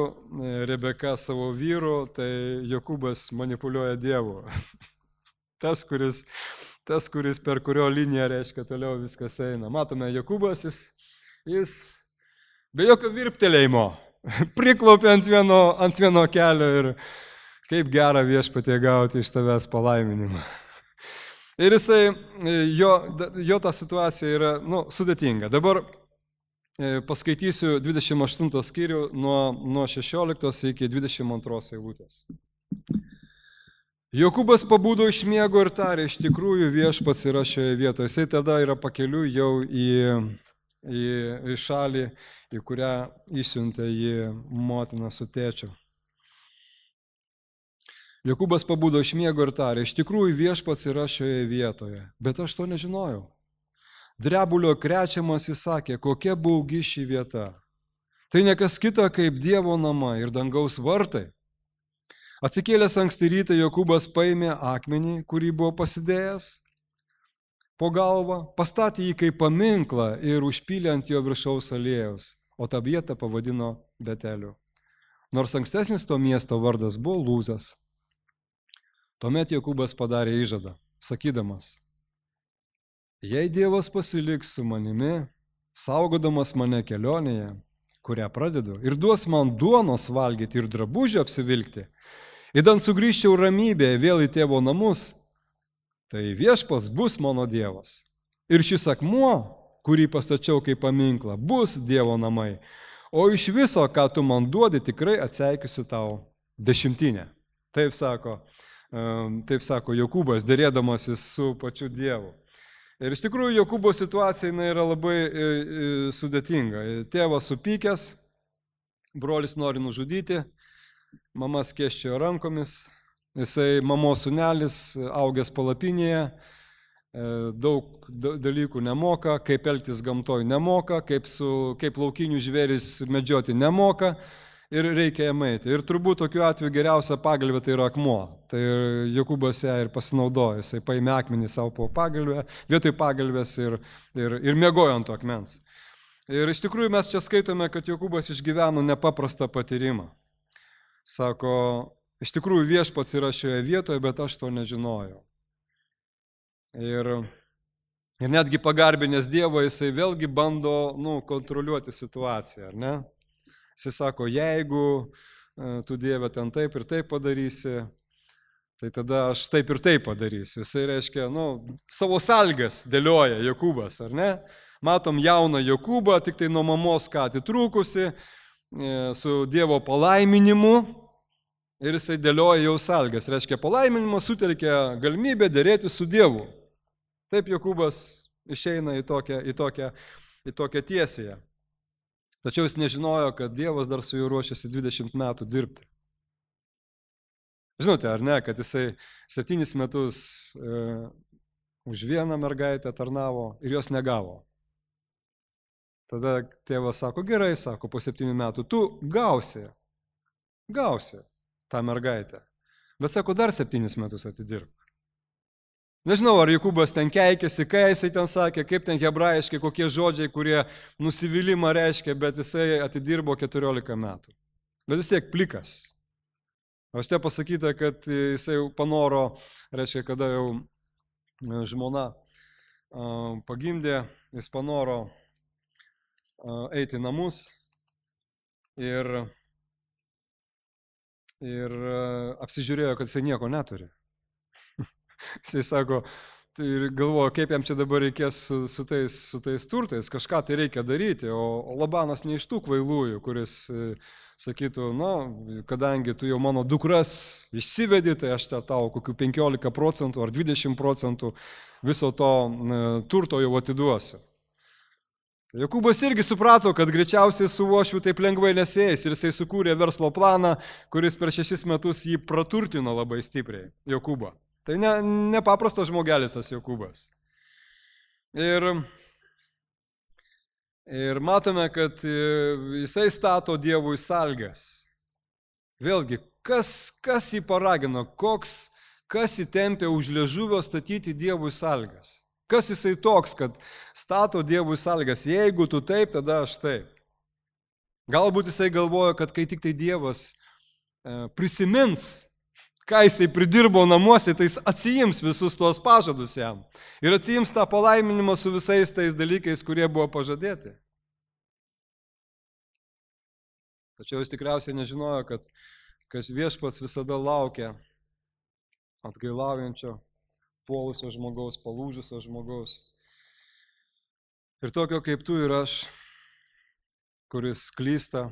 Rebeka savo vyru, tai Jokūbas manipuliuoja Dievu. Tas, kuris, tas, kuris per kurio liniją, reiškia, toliau viskas eina. Matome, Jokūbas, jis, jis be jokio virptelėjimo priklaupė ant vieno, ant vieno kelio ir kaip gera viešpatie gauti iš tavęs palaiminimą. Ir jisai, jo, jo ta situacija yra nu, sudėtinga. Dabar paskaitysiu dvidešimt aštuntą skyrių nuo, nuo šešioliktos iki dvidešimt antros eilutės. Jokūbas pabudo iš miego ir tarė, iš tikrųjų viešpats yra šioje vietoje. Jisai tada yra pakeliui jau į, į, į šalį, į kurią įsiuntė jį motina su tėčiu. Jokūbas pabudo iš miego ir tarė, iš tikrųjų viešpats yra šioje vietoje, bet aš to nežinojau. Drebulio krečiamas jis sakė, kokia baugi ši vieta. Tai nekas kita kaip Dievo namai ir dangaus vartai. Atsikėlęs anksti rytą Jokūbas paėmė akmenį, kurį buvo pasidėjęs po galvą, pastatė jį kaip paminklą ir užpylė ant jo viršaus aliejaus, o tą vietą pavadino Beteliu. Nors ankstesnis to miesto vardas buvo Lūzas. Tuomet Jokūbas padarė įžadą, sakydamas, jei Dievas pasiliks su manimi, saugodamas mane kelionėje, kurią pradedu, ir duos man duonos valgyti ir drabužį apsivilkti, idant sugrįžčiau ramybėje vėl į tėvo namus, tai viešpats bus mano Dievas. Ir šis akmuo, kurį pastačiau kaip paminklą, bus Dievo namai, o iš viso, ką tu man duodi, tikrai atseikysiu tau dešimtinę. Taip sako. Taip sako Jokūbas, dėrėdamasis su pačiu Dievu. Ir iš tikrųjų Jokūbo situacija yra labai sudėtinga. Tėvas supykęs, brolis nori nužudyti, mama skėsčiojo rankomis, jisai mamos sūnelis, augęs palapinėje, daug dalykų nemoka, kaip elgtis gamtoj nemoka, kaip, su, kaip laukinių žvėris medžioti nemoka. Ir reikia jam eiti. Ir turbūt tokiu atveju geriausia pagalbė tai yra akmuo. Tai Jokūbas ją ir pasinaudojo. Jisai paėmė akmenį savo po pagalbę, vietoj pagalbės ir, ir, ir miegojo ant to akmens. Ir iš tikrųjų mes čia skaitome, kad Jokūbas išgyveno nepaprastą patyrimą. Sako, iš tikrųjų viešpats yra šioje vietoje, bet aš to nežinojau. Ir, ir netgi pagarbinės Dievo, jisai vėlgi bando nu, kontroliuoti situaciją, ar ne? Jis sako, jeigu tu Dieve ten taip ir taip padarysi, tai tada aš taip ir taip padarysiu. Jisai reiškia, nu, savo sąlygas dėlioja Jokūbas, ar ne? Matom jauną Jokūbą, tik tai nuo mamos ką atitrūkusi, su Dievo palaiminimu ir jisai dėlioja jau sąlygas. Reiškia, palaiminimas sutelkia galimybę dėrėti su Dievu. Taip Jokūbas išeina į tokią, į tokią, į tokią tiesiąją. Tačiau jis nežinojo, kad Dievas dar su juo ruošiasi dvidešimt metų dirbti. Žinote, ar ne, kad jisai septynis metus e, už vieną mergaitę tarnavo ir jos negavo. Tada tėvas sako, gerai, sako, po septynių metų tu gausi, gausi tą mergaitę. Bet sako, dar septynis metus atidirb. Nežinau, ar Jokūbas ten keikėsi, ką jisai ten sakė, kaip ten hebrajiškai, kokie žodžiai, kurie nusivylimą reiškia, bet jisai atidirbo keturiolika metų. Bet vis tiek plikas. Aš te pasakyta, kad jisai panoro, reiškia, kada jau žmona pagimdė, jis panoro eiti į namus ir, ir apsižiūrėjo, kad jisai nieko neturi. Jisai sako, tai galvoja, kaip jam čia dabar reikės su, su, tais, su tais turtais, kažką tai reikia daryti, o, o Labanas ne iš tų kvailųjų, kuris sakytų, na, kadangi tu jau mano dukras išsivedi, tai aš te tau kokių penkiolika procentų ar dvidešimt procentų viso to turto jau atiduosiu. Jokūbas irgi suprato, kad greičiausiai su uošviu taip lengvai nesieis ir jisai sukūrė verslo planą, kuris per šešis metus jį praturtino labai stipriai, Jokūbą. Tai ne, nepaprastas žmogelis tas Jokūbas. Ir, ir matome, kad jisai stato Dievui sąlygas. Vėlgi, kas, kas jį paragino, koks, kas įtempė už liežuvio statyti Dievui sąlygas? Kas jisai toks, kad stato Dievui sąlygas, jeigu tu taip, tada aš taip. Galbūt jisai galvoja, kad kai tik tai Dievas e, prisimins, ką jisai pridirbo namuose, tai jis atsijims visus tuos pažadus jam. Ir atsijims tą palaiminimą su visais tais dalykais, kurie buvo pažadėti. Tačiau jis tikriausiai nežinojo, kad, kad viešpats visada laukia atgailaujančio, puolusio žmogaus, palūžusio žmogaus. Ir tokio kaip tu ir aš, kuris klysta,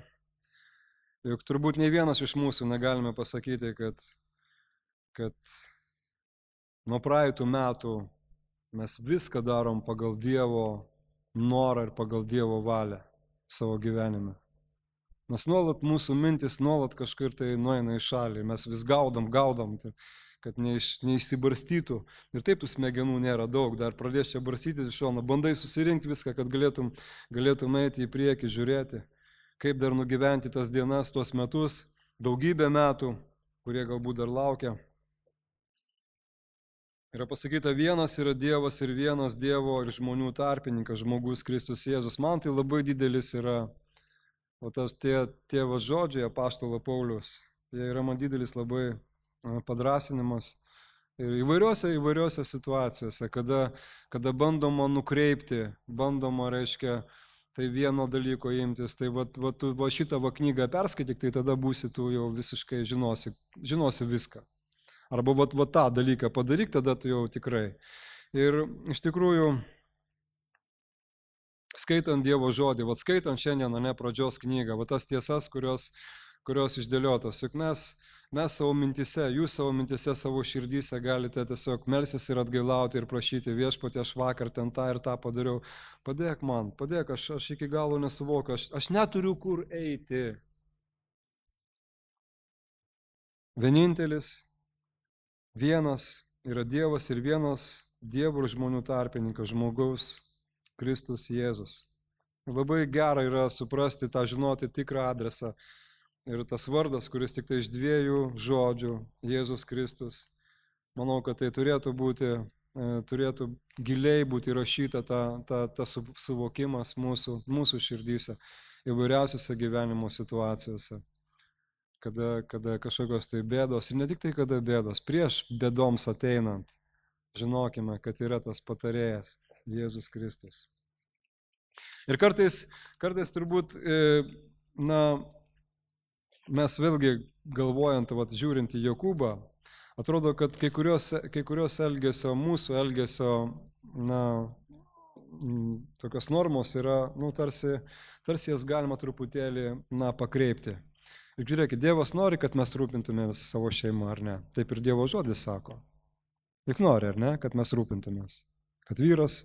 juk turbūt nei vienas iš mūsų negalime pasakyti, kad kad nuo praeitų metų mes viską darom pagal Dievo norą ir pagal Dievo valią savo gyvenime. Nes nuolat mūsų mintis nuolat kažkur tai nueina į šalį, mes vis gaudom, gaudom, kad neiš, neišsibarstytų. Ir taip tų smegenų nėra daug, dar pradės čia barstytis iš šono, bandai susirinkti viską, kad galėtum, galėtum eiti į priekį, žiūrėti, kaip dar nugyventi tas dienas, tuos metus, daugybę metų, kurie galbūt dar laukia. Yra pasakyta, vienas yra Dievas ir vienas Dievo ir žmonių tarpininkas, žmogus Kristus Jėzus. Man tai labai didelis yra, o tas tie, tie va žodžiai apaštalo Pauliaus, jie yra man didelis labai padrasinimas. Ir įvairiose, įvairiose situacijose, kada, kada bandoma nukreipti, bandoma, reiškia, tai vieno dalyko imtis, tai va, va, tu va šitą va knygą perskaityk, tai tada būsi tu jau visiškai žinosi, žinosi viską. Arba va, va tą dalyką padaryk, tada tu jau tikrai. Ir iš tikrųjų, skaitant Dievo žodį, va skaitant šiandien, ne pradžios knygą, va tas tiesas, kurios, kurios išdėliotos, juk mes, mes savo mintise, jūs savo mintise, savo širdyse galite tiesiog melsis ir atgailauti ir prašyti viešpatie, aš vakar ten tą ir tą padariau, padėk man, padėk, aš, aš iki galo nesuvokiu, aš, aš neturiu kur eiti. Vienintelis, vienas yra Dievas ir vienas Dievo ir žmonių tarpininkas, žmogaus Kristus Jėzus. Labai gera yra suprasti tą, žinoti tikrą adresą. Ir tas vardas, kuris tik tai iš dviejų žodžių, Jėzus Kristus, manau, kad tai turėtų būti, turėtų giliai būti įrašyta ta, ta, ta suvokimas mūsų, mūsų širdyse, įvairiausiose gyvenimo situacijose, kada, kada kažkokios tai bėdos, ir ne tik tai kada bėdos, prieš bėdoms ateinant, žinokime, kad yra tas patarėjas, Jėzus Kristus. Ir kartais, kartais turbūt, na, mes vėlgi galvojant, vat, žiūrint į Jokūbą, atrodo, kad kai kurios, kai kurios elgesio, mūsų elgesio, na, tokios normos yra, nu, tarsi, tarsi jas galima truputėlį, na, pakreipti. Ir žiūrėkit, Dievas nori, kad mes rūpintumės savo šeimą, ar ne? Taip ir Dievo žodis sako. Juk nori, ar ne, kad mes rūpintumės. Kad vyras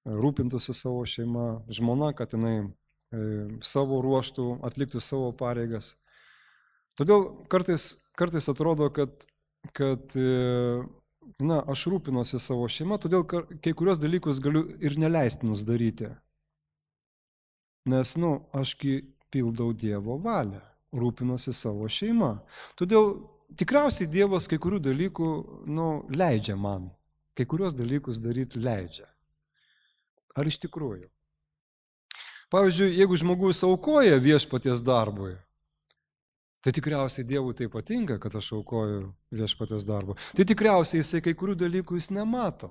rūpintųsi savo šeimą, žmona, kad jinai savo ruoštų atliktų savo pareigas. Todėl kartais, kartais atrodo, kad, kad na, aš rūpinuosi savo šeimą, todėl kai kurios dalykus galiu ir neleistinus daryti. Nes, nu, ašgi pildau Dievo valią, rūpinuosi savo šeimą. Todėl tikriausiai Dievas kai kurių dalykų, nu, leidžia man. Kai kurios dalykus daryti leidžia. Ar iš tikrųjų? Pavyzdžiui, jeigu žmogus aukoja viešpaties darbui, tai tikriausiai Dievui tai patinka, kad aš aukoju viešpaties darbui. Tai tikriausiai jisai kai kurių dalykų jis nemato,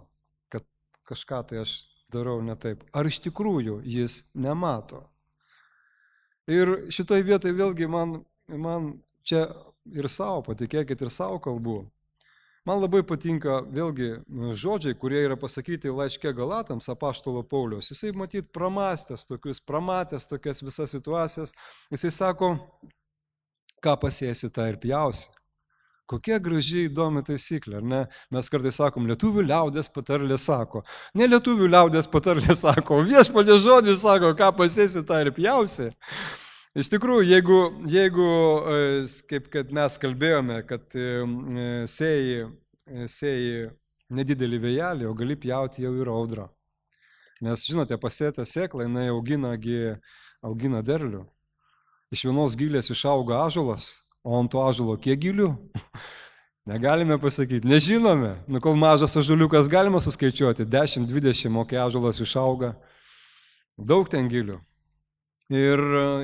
kad kažką tai aš darau ne taip. Ar iš tikrųjų jis nemato? Ir šitoj vietoj vėlgi man, man čia ir savo, patikėkit, ir savo kalbų. Man labai patinka vėlgi žodžiai, kurie yra pasakyti laiške Galatams apaštalo Pauliaus. Jisai matyt pramastęs tokius, pramatęs tokias visas situacijas. Jisai sako, ką pasėsi, tą ir pjausi. Kokia graži įdomi taisyklė, ar ne? Mes kartais sakom, lietuvių liaudės patarlė sako. Ne lietuvių liaudės patarlė sako, viešpaties žodis sako, ką pasėsi, tą ir pjausi. Iš tikrųjų, jeigu, jeigu kaip kad mes kalbėjome, kad sėjai, sėjai nedidelį vėjelį, o gali pjauti jau ir audrą. Nes, žinote, pasėta sėkla, jinai augina, augina derlių. Iš vienos gilės išauga ąžuolas, o ant to ąžuolo kiek gilių? Negalime pasakyti, nežinome. Nu, kol mažas ąžuoliukas galima suskaičiuoti, dešimt dvidešimt, o kai ąžuolas išauga, daug ten gilių. Ir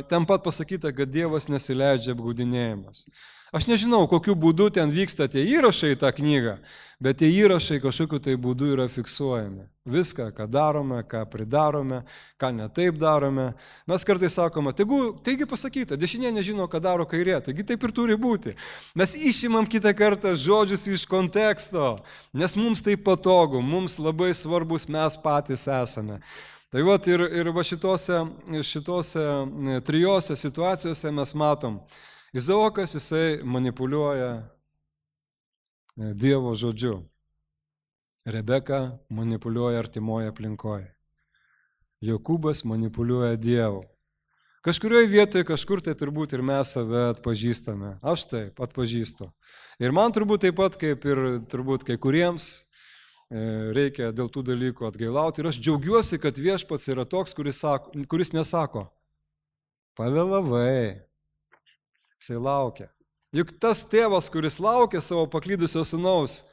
ten pat pasakyta, kad Dievas nesileidžia apgaudinėjimas. Aš nežinau, kokiu būdu ten vyksta tie įrašai į tą knygą, bet tie įrašai kažkokiu tai būdu yra fiksuojami. Viską, ką darome, ką pridarome, ką ne taip darome. Mes kartais sakome, taigi, taigi pasakyta, dešinė nežino, ką daro kairė, taigi taip ir turi būti. Mes išimam kitą kartą žodžius iš konteksto, nes mums tai patogu, mums labai svarbus mes patys esame. Tai va ir, ir va šitose, šitose trijose situacijose mes matom, Izaokas jisai manipuliuoja Dievo žodžiu, Rebeka manipuliuoja artimoje aplinkoje, Jokūbas manipuliuoja Dievu. Kažkurioje vietoje kažkur tai turbūt ir mes save atpažįstame, aš taip atpažįstu. Ir man turbūt taip pat kaip ir turbūt kai kuriems reikia dėl tų dalykų atgailauti. Ir aš džiaugiuosi, kad viešpats yra toks, kuris, sako, kuris nesako, pavėlavai, jisai laukia. Juk tas tėvas, kuris laukia savo paklydusio sūnaus,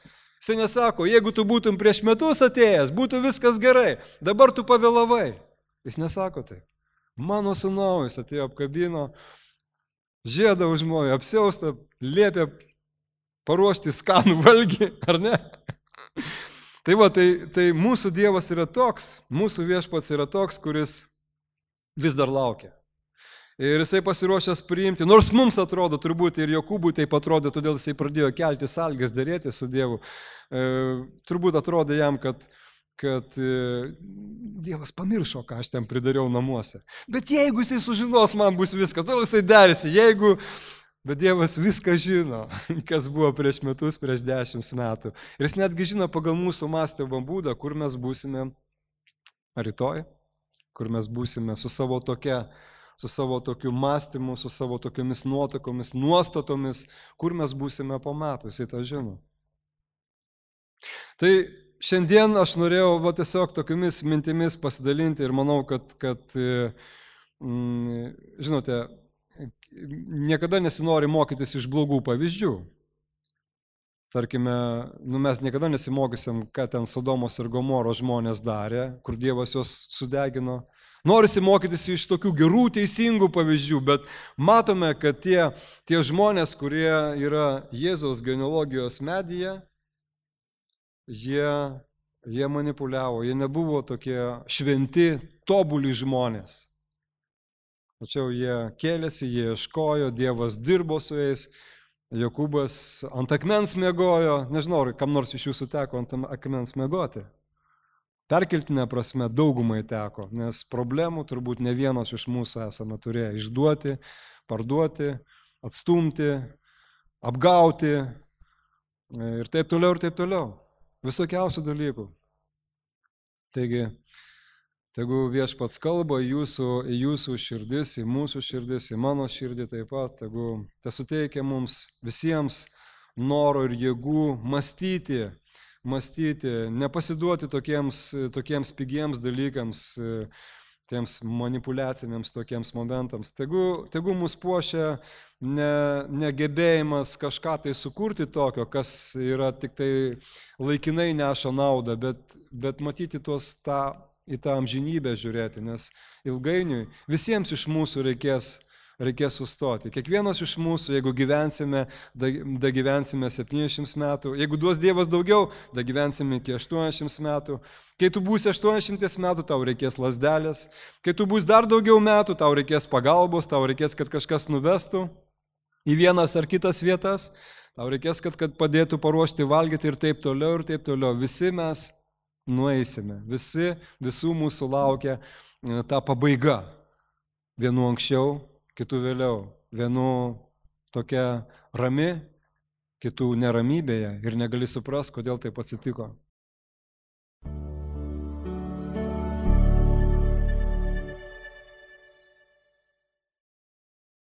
jisai nesako, jeigu tu būtum prieš metus atėjęs, būtų viskas gerai, dabar tu pavėlavai. Jis nesako taip. Mano sūnaus atėjo apkabino, žiedą užmojo, apsiaustą, liepė paruošti skanų valgį, ar ne? Tai va, tai, tai mūsų Dievas yra toks, mūsų viešpats yra toks, kuris vis dar laukia. Ir jisai pasiruošęs priimti, nors mums atrodo, turbūt ir Jokūbui taip atrodė, todėl jisai pradėjo kelti sąlygas dėrėti su Dievu. E, turbūt atrodė jam, kad, kad e, Dievas pamiršo, ką aš ten pridariau namuose. Bet jeigu jisai sužinos, man bus viskas, todėl jisai derisi, jeigu... Bet Dievas viską žino, kas buvo prieš metus, prieš dešimt metų. Ir jis netgi žino pagal mūsų mąstymo būdą, kur mes būsime rytoj, kur mes būsime su savo tokia, su savo tokiu mąstymu, su savo tokiomis nuotakomis, nuostatomis, kur mes būsime po metų, jis tą žino. Tai šiandien aš norėjau va, tiesiog tokiamis mintimis pasidalinti ir manau, kad, kad mm, žinote, niekada nesinori mokytis iš blogų pavyzdžių. Tarkime, nu mes niekada nesimokysim, ką ten Sodomos ir Gomoros žmonės darė, kur Dievas juos sudegino. Norisi mokytis iš tokių gerų, teisingų pavyzdžių, bet matome, kad tie, tie žmonės, kurie yra Jėzaus genealogijos medyje, jie, jie manipuliavo, jie nebuvo tokie šventi, tobuli žmonės. Tačiau jie kėlėsi, jie ieškojo, Dievas dirbo su jais, Jokūbas ant akmens miegojo, nežinau, kam nors iš jūsų teko ant akmens miegoti. Perkeltinė prasme daugumai teko, nes problemų turbūt ne vienas iš mūsų esame turėję išduoti, parduoti, atstumti, apgauti ir taip toliau, ir taip toliau. Visokiausių dalykų. Taigi, tegu viešpats kalba į jūsų, į jūsų širdis, į mūsų širdis, į mano širdį taip pat, tegu te suteikia mums visiems noro ir jėgų mąstyti, mąstyti, nepasiduoti tokiems, tokiems pigiems dalykams, tiems manipuliaciniams tokiems momentams. Tegu, tegu mus puošia ne, negebėjimas kažką tai sukurti tokio, kas yra tik tai laikinai neša naudą, bet, bet matyti tuos tą į tą amžinybę žiūrėti, nes ilgainiui visiems iš mūsų reikės, reikės sustoti. Kiekvienas iš mūsų, jeigu gyvensime, da, da gyvensime septyniasdešimt metų, jeigu duos Dievas daugiau, da gyvensime iki aštuoniasdešimt metų. Kai tu būsi aštuoniasdešimt metų, tau reikės lazdelės. Kai tu būsi dar daugiau metų, tau reikės pagalbos, tau reikės, kad kažkas nuvestų į vienas ar kitas vietas, tau reikės, kad, kad padėtų paruošti valgyti ir taip toliau, ir taip toliau. Visi mes nueisime. Visi, visų mūsų laukia ta pabaiga. Vienu anksčiau, kitų vėliau. Vienu tokia rami, kitų neramybėje ir negali suprast, kodėl taip atsitiko.